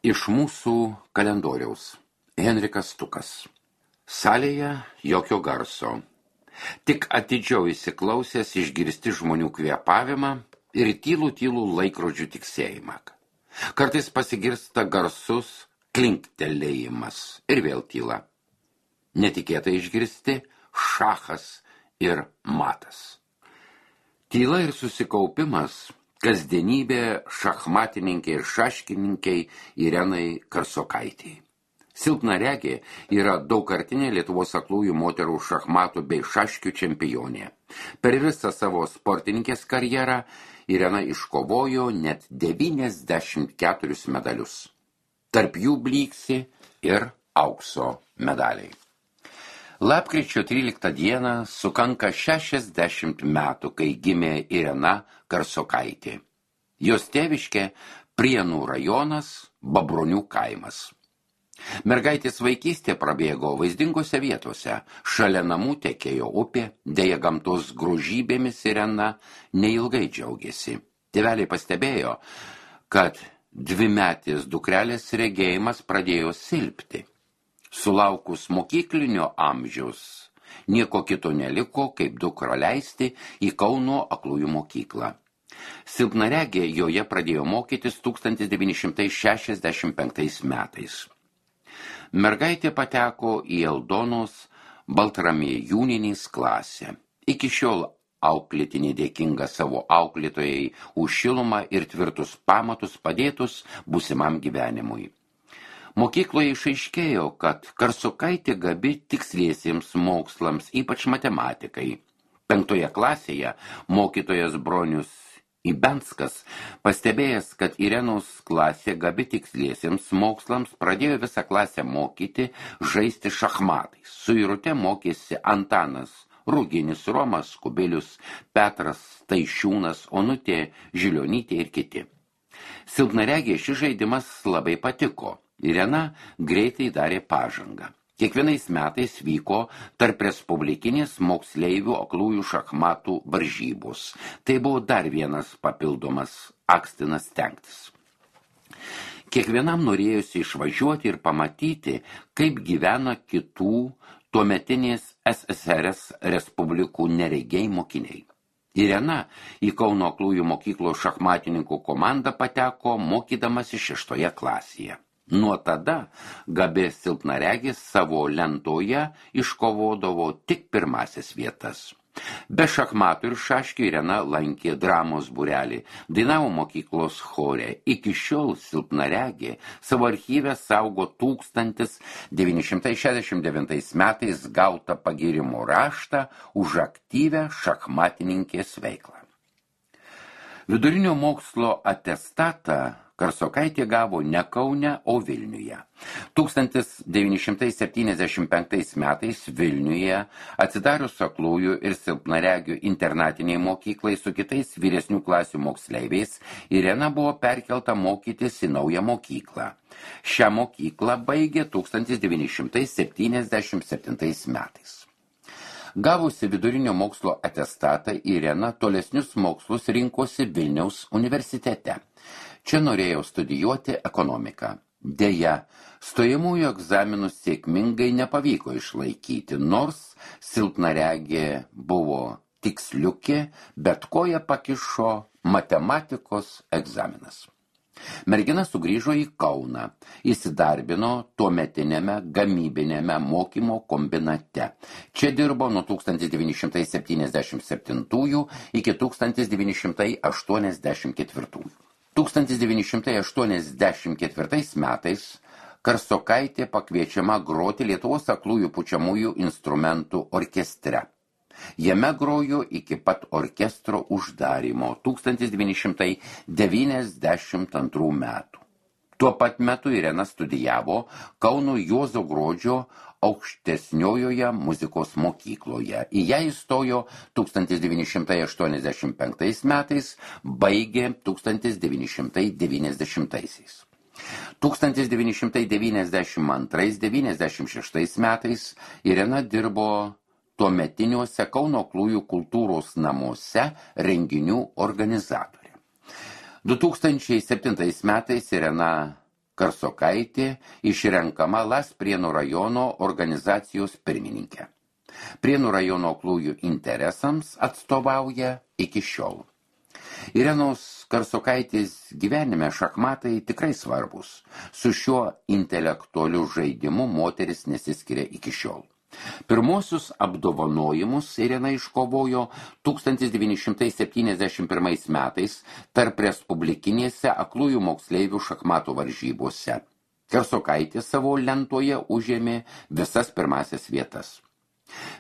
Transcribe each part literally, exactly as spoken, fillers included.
Iš mūsų kalendoriaus. Henrikas Stukas. Salėje jokio garso. Tik atidžiau įsiklausęs išgirsti žmonių kvėpavimą ir tylų tylų laikrodžių tiksėjimą. Kartais pasigirsta garsus klinktelėjimas ir vėl tyla. Netikėtai išgirsti šachas ir matas. Tyla ir susikaupimas kasdienybė šachmatininkai ir šaškininkai Irenai Karsokaitei. Silpnaregė yra daugkartinė Lietuvos aklųjų moterų šachmatų bei šaškių čempionė. Per visą savo sportininkės karjerą Irena iškovojo net devyniasdešimt keturis medalius. Tarp jų blyksi ir aukso medaliai. Lapkričio tryliktą dieną sukanka šešiasdešimt metų, kai gimė Irena Karsokaitė. Jos tėviškė Prienų rajonas, Babronių kaimas. Mergaitės vaikystė prabėgo vaizdingose vietose. Šalia namų tekėjo upė, deja gamtos grožybėmis Irena neilgai džiaugėsi. Tėveliai pastebėjo, kad dvimetės dukrelės regėjimas pradėjo silpti. Sulaukus mokyklinio amžiaus, nieko kito neliko, kaip dukrą leisti į Kauno aklųjų mokyklą. Silpnaregė joje pradėjo mokytis tūkstantis devyni šimtai šešiasdešimt penktais metais. Mergaitė pateko į Aldonos Baltramiejūnienės klasę. Iki šiol auklėtinė dėkinga savo auklėtojai už šilumą ir tvirtus pamatus padėtus būsimam gyvenimui. Mokykloje išaiškėjo, kad Karsokaitė gabi tiksliesiems mokslams, ypač matematikai. Penktoje klasėje mokytojas Bronius Ibenskas, pastebėjęs, kad Irenos klasė gabi tiksliesiems mokslams, pradėjo visą klasę mokyti žaisti šachmatais. Su Irute mokėsi Antanas Ruginis, Romas Kubilius, Petras Taišiūnas, Onutė Žilionytė ir kiti. Silpnaregė šis žaidimas labai patiko. Irena greitai darė pažangą. Kiekvienais metais vyko tarp respublikinės moksleivių aklųjų šachmatų varžybos. Tai buvo dar vienas papildomas akstinas stengtis. Kiekvienam norėjosi išvažiuoti ir pamatyti, kaip gyvena kitų tuometinės S S R S respublikų neregiai mokiniai. Irena į Kauno aklųjų mokyklos šachmatininkų komandą pateko mokydamasi šeštoje klasėje. Nuo tada gabi silpnaregis savo lentoje iškovodavo tik pirmasis vietas. Be šachmatų ir šaškių Irena lankė dramos būrelį, dainavo mokyklos chore. Iki šiol silpnaregė savo archyve saugo tūkstantis devyni šimtai šešiasdešimt devintais metais gautą pagyrimo raštą už aktyvią šachmatininkės veiklą. Vidurinio mokslo atestatą Karsokaitė gavo ne Kaune, o Vilniuje. tūkstantis devyni šimtai septyniasdešimt penktais metais Vilniuje atsidarius aklųjų ir silpnaregių internatiniai mokyklai su kitais vyresnių klasių moksleiviais, Irena buvo perkelta mokytis į naują mokyklą. Šią mokyklą baigė tūkstantis devyni šimtai septyniasdešimt septintais metais. Gavusi vidurinio mokslo atestatą, Irena tolesnius mokslus rinkosi Vilniaus universitete. Čia norėjau studijuoti ekonomiką. Deja, stojamųjų egzaminų sėkmingai nepavyko išlaikyti, nors silpnaregė buvo tiksliukė, bet koja pakišo matematikos egzaminas. Mergina sugrįžo į Kauną, įsidarbino tuometiniame gamybinėme mokymo kombinate. Čia dirbo nuo tūkstantis devyni šimtai septyniasdešimt septintųjų iki tūkstantis devyni šimtai aštuoniasdešimt ketvirtųjų. tūkstantis devyni šimtai aštuoniasdešimt ketvirtais metais Karsokaitė pakviečiama groti Lietuvos aklųjų pučiamųjų instrumentų orkestre. Jame grojo iki pat orkestro uždarymo tūkstantis devyni šimtai devyniasdešimt antrų metų. Tuo pat metu Irena studijavo Kauno Juozo Gruodžio aukštesniojoje muzikos mokykloje. Į ją įstojo tūkstantis devyni šimtai aštuoniasdešimt penktais metais, baigė tūkstantis devyni šimtai devyniasdešimtaisiais. tūkstantis devyni šimtai devyniasdešimt antrais devyniasdešimt šeštais metais Irena dirbo tuometiniuose Kauno aklųjų kultūros namuose renginių organizatorė. du tūkstančiai septintais metais Irena Karsokaitė išrenkama Las Prienų rajono organizacijos pirmininkė. Prienų rajono aklųjų interesams atstovauja iki šiol. Irenos Karsokaitės gyvenime šachmatai tikrai svarbus. Su šiuo intelektualiu žaidimu moteris nesiskiria iki šiol. Pirmosius apdovanojimus Irena iškovojo tūkstantis devyni šimtai septyniasdešimt pirmais metais tarp respublikinėse aklųjų moksleivių šachmatų varžybose. Karsokaitė savo lentoje užėmė visas pirmasias vietas.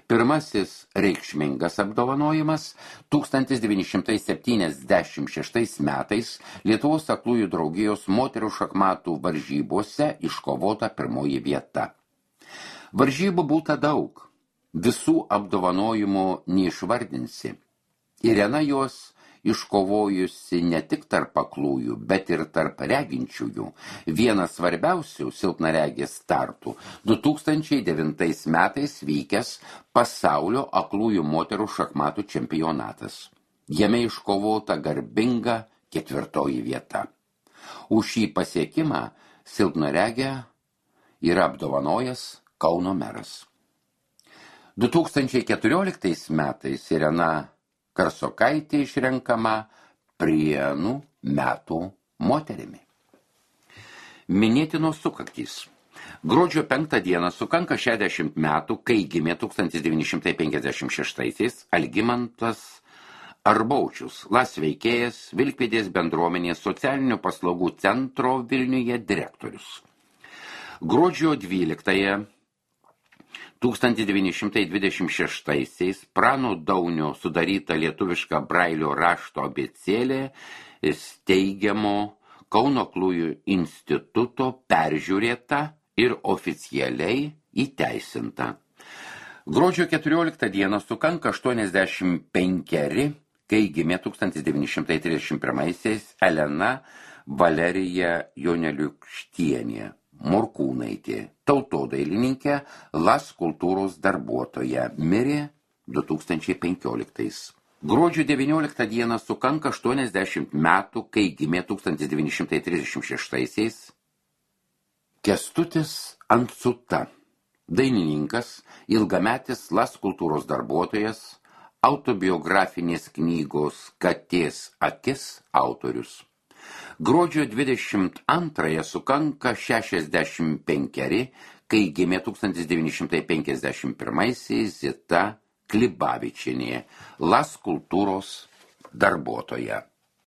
Pirmasis reikšmingas apdovanojimas tūkstantis devyni šimtai septyniasdešimt šeštais metais Lietuvos aklųjų draugijos moterų šachmatų varžybose iškovota pirmoji vieta. Varžybų būta daug, visų apdovanojimų neišvardinsi. Irena jos iškovojusi ne tik tarp aklųjų, bet ir tarp reginčiųjų. Vienas svarbiausių silpnaregės startų du tūkstančiai devintais metais vykęs pasaulio aklųjų moterų šachmatų čempionatas. Jame iškovota garbinga ketvirtoji vieta. Už šį pasiekimą silpnaregę yra apdovanojęs Kauno meras. du tūkstančiai keturioliktais metais Irena Karsokaitė išrenkama Prienų metų moterimi. Minėtinos sukaktys. Gruodžio penktą dieną sukanka šešiasdešimt metų, kai gimė tūkstantis devyni šimtai penkiasdešimt šeštaisiais Algimantas Arbaučius, Las veikėjas, Vilkpėdės bendruomenės socialinių paslaugų centro Vilniuje direktorius. Gruodžio dvyliktąją tūkstantis devyni šimtai dvidešimt šeštaisiais Prano Daunio sudaryta lietuviška brailio rašto abėcėlė steigiamo Kauno aklųjų instituto peržiūrėta ir oficialiai įteisinta. Gruodžio keturioliktą dieną sukanka aštuoniasdešimt penkeri, kai gimė tūkstantis devyni šimtai trisdešimt pirmaisiais Elena Valerija Joneliukštienė Morkūnaitė, tautodailininkė, Las kultūros darbuotoja, mirė du tūkstančiai penkioliktais. Gruodžio devynioliktą dieną sukanka aštuoniasdešimt metų, kai gimė tūkstantis devyni šimtai trisdešimt šeštaisiais Kęstutis Ancuta, dainininkas, ilgametis Las kultūros darbuotojas, autobiografinės knygos Katės akis autorius. Gruodžio dvidešimt antrąją sukanka šešiasdešimt penkeri, kai gimė tūkstantis devyni šimtai penkiasdešimt pirmaisiais Zita Klibavičienė, Las kultūros darbuotoja.